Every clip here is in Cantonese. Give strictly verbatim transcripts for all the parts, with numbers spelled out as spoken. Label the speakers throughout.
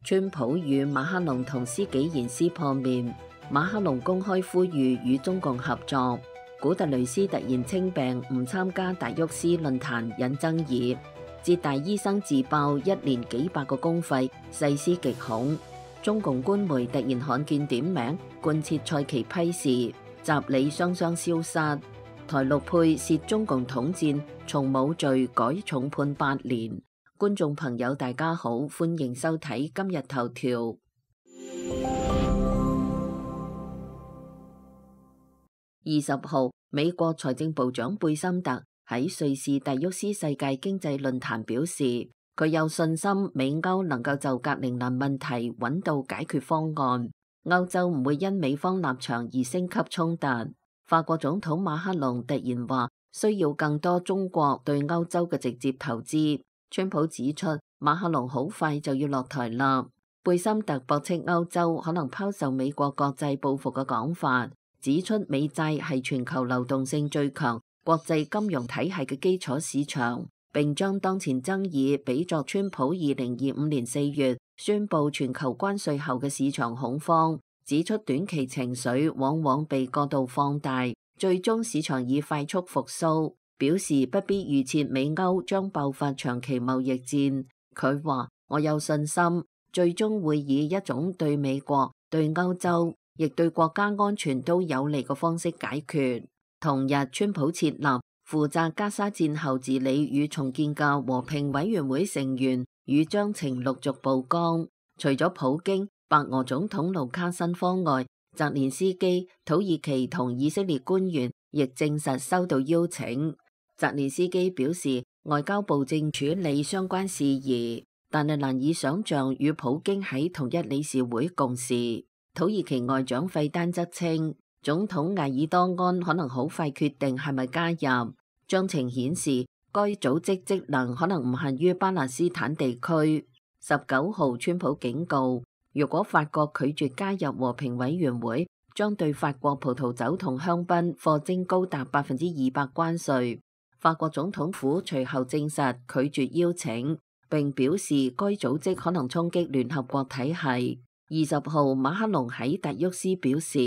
Speaker 1: 川普與馬克龍同施紀賢撕破面，馬克龍公開呼籲與中共合作。古特雷斯突然稱病唔參加達沃斯論壇引爭議。浙大醫生自爆一年幾百個公費，細思極恐。中共官媒突然罕見點名貫徹蔡奇批示，習李雙雙消失。台陸配涉中共統戰，從無罪改重判八年。觀眾朋友大家好，歡迎收睇今日頭條。二十號，美國財政部長貝森特喺瑞士達沃斯世界經濟論壇表示，佢有信心美歐能夠就格陵蘭問題揾到解決方案，歐洲唔會因美方立場而升級衝突。法國總統馬克龍突然話需要更多中國對歐洲嘅直接投資。川普指出馬克龍好快就要落台啦。貝森特駁斥歐洲可能拋售美國國際報復嘅講法，指出美債係全球流動性最強國際金融體系嘅基礎市場，並將當前爭議比作川普二零二五年四月宣布全球關稅後嘅市場恐慌，指出短期情緒往往被過度放大，最終市場以快速復甦，表示不必預設美歐將爆發長期貿易戰。佢話：我有信心，最終會以一種對美國、對歐洲，亦對國家安全都有利嘅方式解決。同日，川普設立負責加沙戰後治理與重建嘅和平委員會成員與章程陸續曝光。除咗普京、白俄總統盧卡申科外，澤連斯基、土耳其同以色列官員亦證實收到邀請。澤連斯基表示，外交部正處理相關事宜，但係難以想象與普京喺同一理事會共事。土耳其外長費丹則稱，總統艾爾多安可能好快決定係咪加入。章程顯示，該組織職能可能唔限於巴勒斯坦地區。十九號，川普警告，如果法國拒絕加入和平委員會，將對法國葡萄酒同香檳課徵高達百分之二百關稅。法國總統府隨後證實拒絕邀請，並表示該組織可能衝擊聯合國體系。二十號，馬克龍喺達沃斯表示，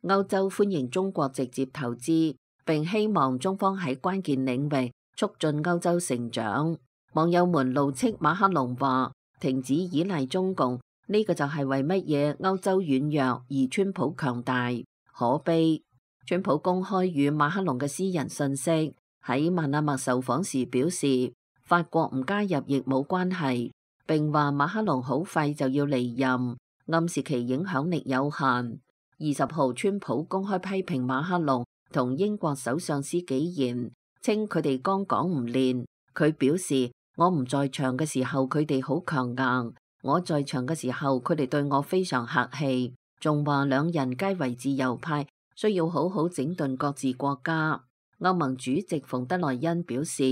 Speaker 1: 歐洲歡迎中國直接投資，並希望中方喺關鍵領域促進歐洲成長。網友們怒斥馬克龍話：停止依賴中共，呢個就係為乜嘢歐洲軟弱而川普強大？可悲！川普公開與馬克龍嘅私人信息。喺曼阿默受訪時表示，法國唔加入亦冇關係，並話馬克龍好快就要離任，暗示其影響力有限。二十號，川普公開批評馬克龍同英國首相施紀賢，稱佢哋剛講唔練。佢表示，我唔在場嘅時候佢哋好強硬，我在場嘅時候佢哋對我非常客氣，仲話兩人皆為自由派，需要好好整頓各自國家。歐盟主席馮德萊恩表示，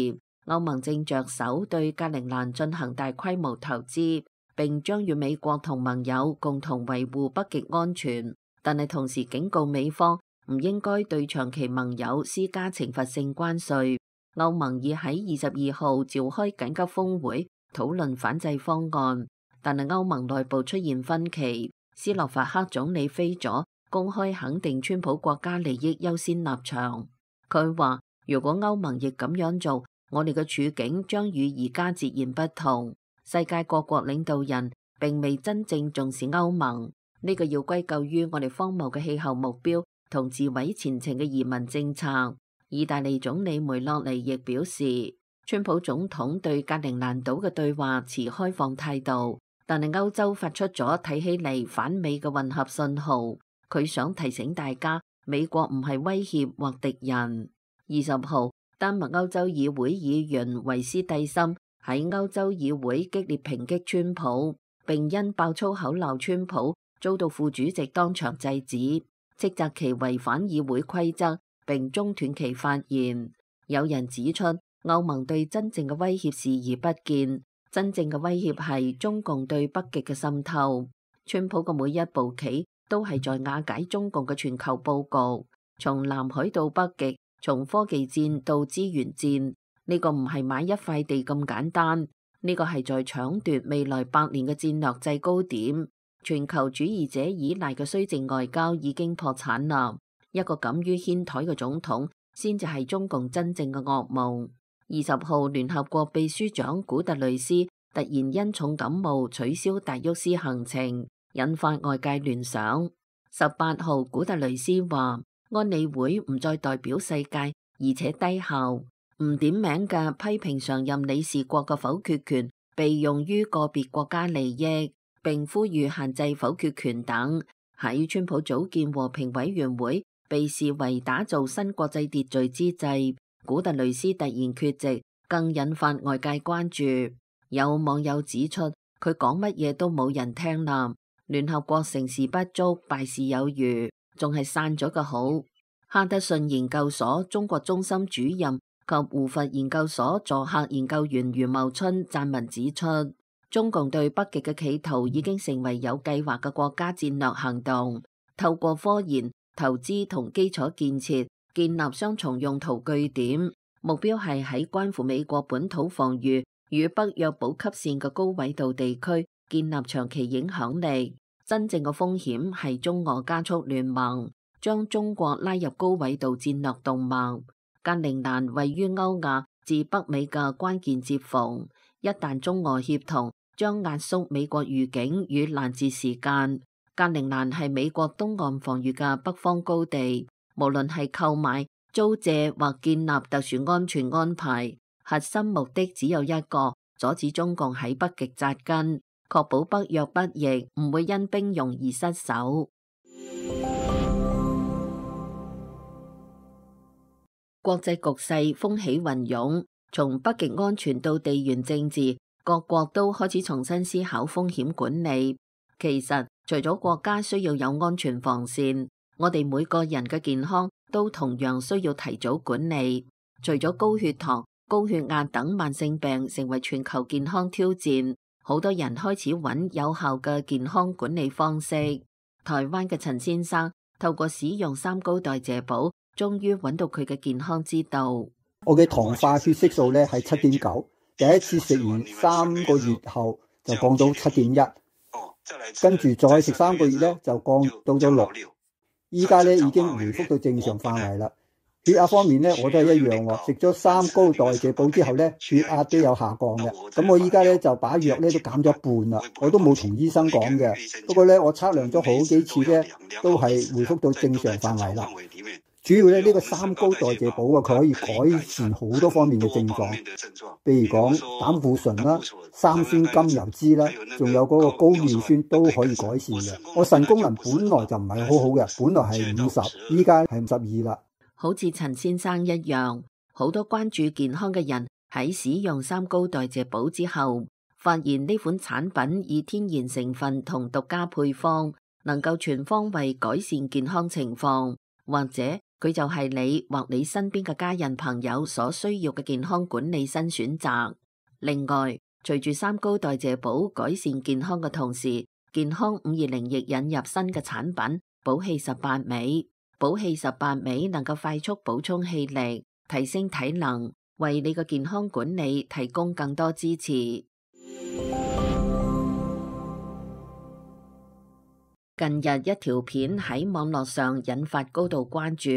Speaker 1: 歐盟正着手對格陵蘭進行大規模投資，並將與美國同盟友共同維護北極安全，但係同時警告美方唔應該對長期盟友施加懲罰性關稅。歐盟已喺二十二號召開緊急峰會討論反制方案，但係歐盟內部出現分歧。斯洛伐克總理菲佐公開肯定川普國家利益優先立場。佢話：如果歐盟亦咁樣做，我哋嘅處境將與而家截然不同。世界各國領導人並未真正重視歐盟，呢個要歸咎於我哋荒謬嘅氣候目標同自毀前程嘅移民政策。意大利總理梅洛尼亦表示，川普總統對格陵蘭島嘅對話持開放態度，但係歐洲發出咗睇起嚟反美嘅混合信號。佢想提醒大家，美國唔係威脅或敵人。二十號，丹麥歐洲議會議員維斯蒂森喺歐洲議會激烈抨擊川普，並因爆粗口鬧川普，遭到副主席當場制止，斥責其違反議會規則，並中斷其發言。有人指出，歐盟對真正嘅威脅視而不見，真正嘅威脅係中共對北極嘅滲透。川普嘅每一步棋都係在瓦解中共嘅全球佈局，從南海到北極，從科技戰到資源戰，呢個唔係買一塊地咁簡單。呢個係在搶奪未來百年嘅戰略制高點。全球主義者依賴嘅綏靖外交已經破產啦。一個敢於掀台嘅總統，先至係中共真正嘅噩夢。二十號，聯合國秘書長古特雷斯突然因重感冒取消達沃斯行程，引發外界聯想。十八號，古特雷斯話安理會唔再代表世界，而且低效，唔點名嘅批評常任理事國嘅否決權被用於個別國家利益，並呼籲限制否決權等。喺川普組建和平委員會被視為打造新國際秩序之際，古特雷斯突然缺席，更引發外界關注。有網友指出，佢講乜嘢都冇人聽啦。聯合國成事不足，敗事有餘，仲係散咗個好。哈德遜研究所中國中心主任及胡佛研究所助客研究員余茂春撰文指出，中共對北極嘅企圖已經成為有計劃嘅國家戰略行動，透過科研、投資同基礎建設建立雙重用途據點，目標係喺關乎美國本土防禦與北約補給線嘅高緯度地區建立長期影響力。真正嘅風險係中俄加速聯盟，將中國拉入高緯度戰略動脈。格陵蘭位於歐亞至北美嘅關鍵接縫，一旦中俄協同，將壓縮美國預警與攔截時間。格陵蘭係美國東岸防禦嘅北方高地，無論係購買、租借或建立特殊安全安排，核心目的只有一個：阻止中共喺北極紮根，確保北約北翼唔會因兵戎而失守。國際局勢風起雲湧，從北極安全到地緣政治，各國都開始重新思考風險管理。其實，除咗國家需要有安全防線，我哋每個人嘅健康都同樣需要提早管理。除咗高血糖、高血壓等慢性病成為全球健康挑戰，好多人開始揾有效嘅健康管理方式。台灣嘅陳先生透過使用三高代謝寶，終於揾到佢嘅健康之道。
Speaker 2: 我嘅糖化血色素咧係七點九，第一次食完三個月後就降到七點一，跟住再食三個月咧就降到咗六，依家咧已經回復到正常範圍啦。血壓方面咧我都係一樣喎，食咗三高代謝寶之後咧血壓都有下降嘅。咁我依家咧就把藥咧都減咗一半啦，我都冇同醫生講嘅。不過咧我測量咗好幾次咧都係回復到正常範圍啦。主要咧呢個三高代謝寶啊，佢可以改善好多方面嘅症狀，譬如講膽固醇啦、三酸甘油酯啦，仲有嗰個高尿酸都可以改善嘅。我腎功能本來就唔係好好嘅，本來係五十，依家係五十二啦。
Speaker 1: 好似陳先生一樣，好多關注健康嘅人喺使用三高代謝寶之後，發現呢款產品以天然成分同獨家配方，能夠全方位改善健康情況，或者佢就係你或你身邊嘅家人朋友所需要嘅健康管理新選擇。另外，隨住三高代謝寶改善健康嘅同時，健康五二零亦引入新嘅產品寶氣十八味。寶氣十八味能夠快速補充氣力，提升體能，為你嘅健康管理提供更多支持。近日一條片喺網絡上引發高度關注，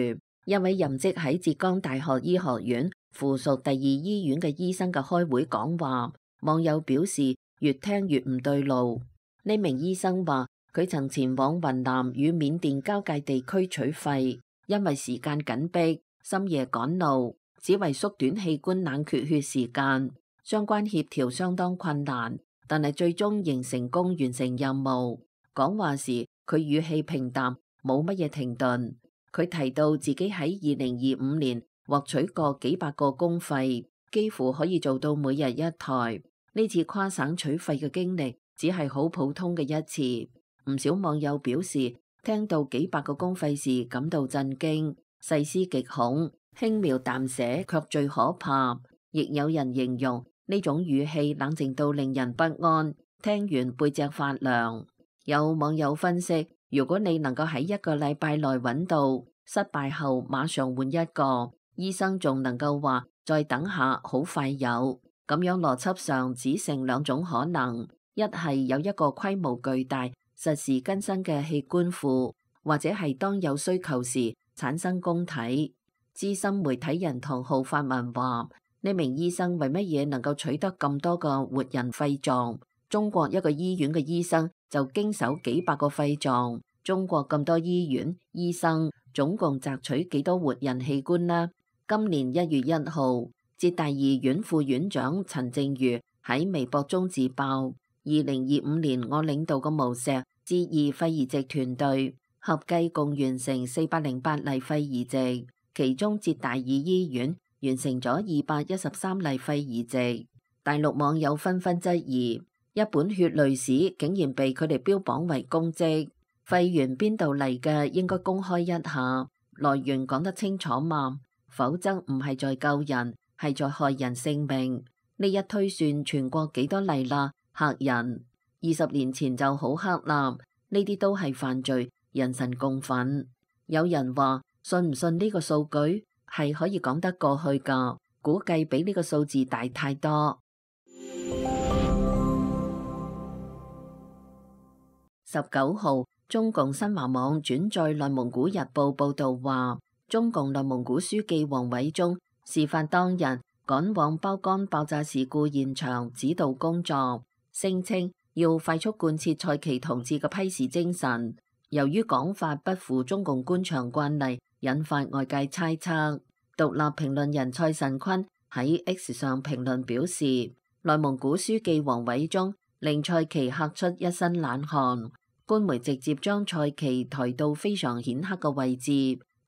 Speaker 1: 一位任職喺浙江大學醫學院附屬第二醫院嘅醫生嘅開會講話，網友表示越聽越唔對路。呢名醫生話，佢曾前往雲南與緬甸交界地區取肺，因為時間緊迫，深夜趕路，只為縮短器官冷卻血時間，相關協調相當困難，但係最終仍成功完成任務。講話時，佢語氣平淡，冇乜嘢停頓。佢提到自己喺二零二五年獲取過幾百個公肺，幾乎可以做到每日一台。呢次跨省取肺嘅經歷只係好普通嘅一次。唔少網友表示，聽到幾百個公肺時感到震驚，細思極恐，輕描淡寫卻最可怕。亦有人形容呢種語氣冷靜到令人不安，聽完背脊發涼。有網友分析，如果你能夠喺一個禮拜內揾到，失敗後馬上換一個，醫生仲能夠話再等下，好快有，咁樣邏輯上只剩兩種可能：一係有一個規模巨大、實時更新嘅器官庫，或者係當有需求時產生供體。資深媒體人唐浩發文話：呢名醫生為乜嘢能夠取得咁多個活人肺臟？中國一個醫院嘅醫生就經手幾百個肺臟，中國咁多醫院醫生總共摘取幾多活人器官呢？今年一月一號，浙大醫院副院長陳正如喺微博中自爆：二零二五年我領導嘅無錫浙二肺移植團隊合計共完成四百零八例肺移植，其中浙大二醫院完成咗二百一十三例肺移植。大陸網友紛紛質疑，一本血淚史竟然被佢哋標榜為公職，肺源邊度嚟嘅應該公開一下，來源講得清楚嘛，否則唔係在救人，係在害人性命。呢一推算全國幾多例啦，嚇人！二十年前就好黑啦，呢啲都係犯罪，人神共憤。有人話信唔信呢個數據係可以講得過去㗎，估計比呢個數字大太多。十九號，中共新華網轉載內蒙古日報報道話，中共內蒙古書記王偉中事發當日趕往包乾爆炸事故現場指導工作，聲稱要快速貫徹蔡奇同志嘅批示精神。由於講法不符中共官場慣例，引發外界猜測。獨立評論人蔡慎坤喺 X 上評論表示，內蒙古書記王偉中令蔡奇嚇出一身冷汗。官媒直接將蔡奇抬到非常顯赫嘅位置，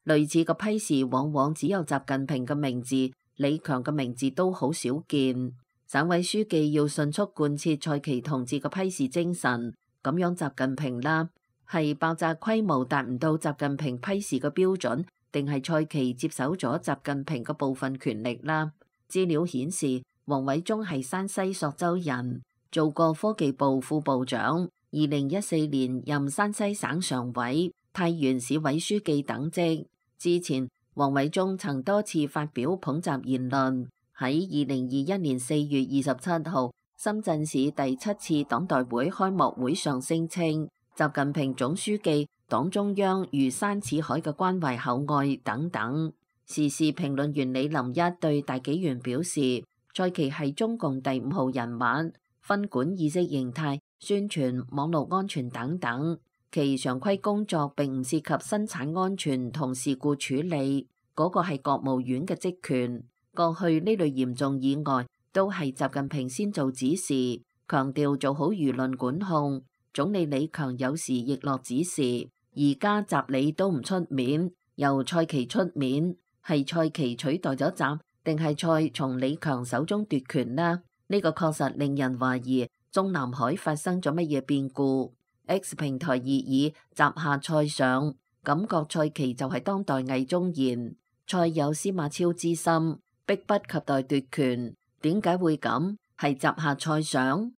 Speaker 1: 類似嘅批示往往只有習近平嘅名字、李強嘅名字都好少見。省委書記要迅速貫徹蔡奇同志嘅批示精神，咁樣習近平啦，係爆炸規模達唔到習近平批示嘅標準，定係蔡奇接手咗習近平嘅部分權力啦？資料顯示，王偉中係山西朔州人，做過科技部副部長。二零一四年任山西省常委、太原市委書記等職。之前，王偉中曾多次發表捧習言論。喺二零二一年四月二十七號，深圳市第七次黨代會開幕會上聲稱，習近平總書記、黨中央如山似海嘅關懷厚愛等等。時事評論員李林一對大紀元表示，蔡奇係中共第五號人物，分管意識形態、宣傳、網絡安全等等，其常規工作並唔涉及生產安全同事故處理，嗰、那個係國務院嘅職權。過去呢類嚴重意外都係習近平先做指示，強調做好輿論管控。總理李強有時亦落指示，而家習李都唔出面，由蔡奇出面，係蔡奇取代咗習，定係蔡從李強手中奪權呢？呢、這個確實令人懷疑。中南海發生咗乜嘢變故 ？X 平台熱議習下蔡上，感覺蔡奇就係當代魏忠賢，蔡有司馬昭之心，迫不及待奪權。點解會咁？係習下蔡上？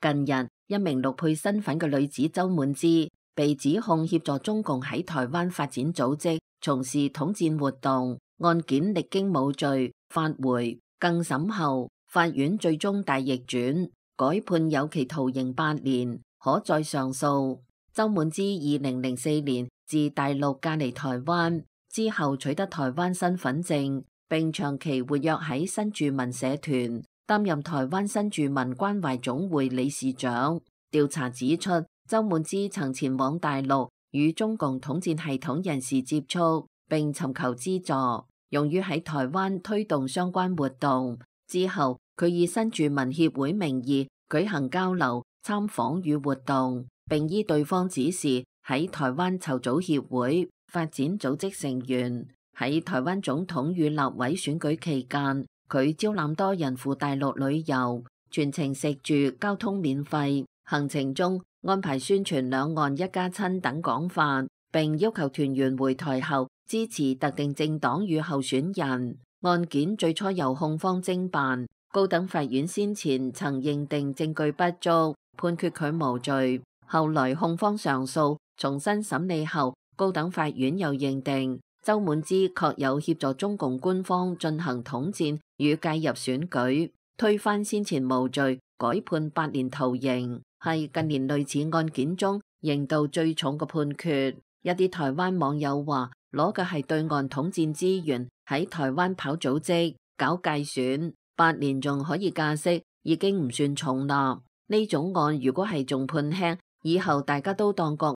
Speaker 1: 近日，一名陸配身份嘅女子周滿之被指控協助中共喺台灣發展組織從事統戰活動，案件歷經無罪。發回更審後，法院最終大逆轉，改判有期徒刑八年，可再上訴。周滿之二零零四年自大陸嫁嚟台灣之後，取得台灣身份證，並長期活躍喺新住民社團，擔任台灣新住民關懷總會理事長。調查指出，周滿之曾前往大陸與中共統戰系統人士接觸，並尋求資助，用於喺台灣推動相關活動。之後，佢以新住民協會名義舉行交流、參訪與活動，並依對方指示喺台灣籌組協會、發展組織成員。喺台灣總統與立委選舉期間，佢招攬多人赴大陸旅遊，全程食住、交通免費。行程中安排宣傳兩岸一家親等講法，並要求團員回台後支持特定政黨與候選人。案件最初由控方偵辦，高等法院先前曾認定證據不足，判決佢無罪。後來控方上訴，重新審理後，高等法院又認定周滿之確有協助中共官方進行統戰與介入選舉，推翻先前無罪，改判八年徒刑，係近年類似案件中刑度最重嘅判決。一啲台灣網友話，攞嘅係對岸統戰資源，喺台灣跑組織、搞界選，八年仲可以假釋，已經唔算重啦。呢種案如果係仲判輕，以後大家都當國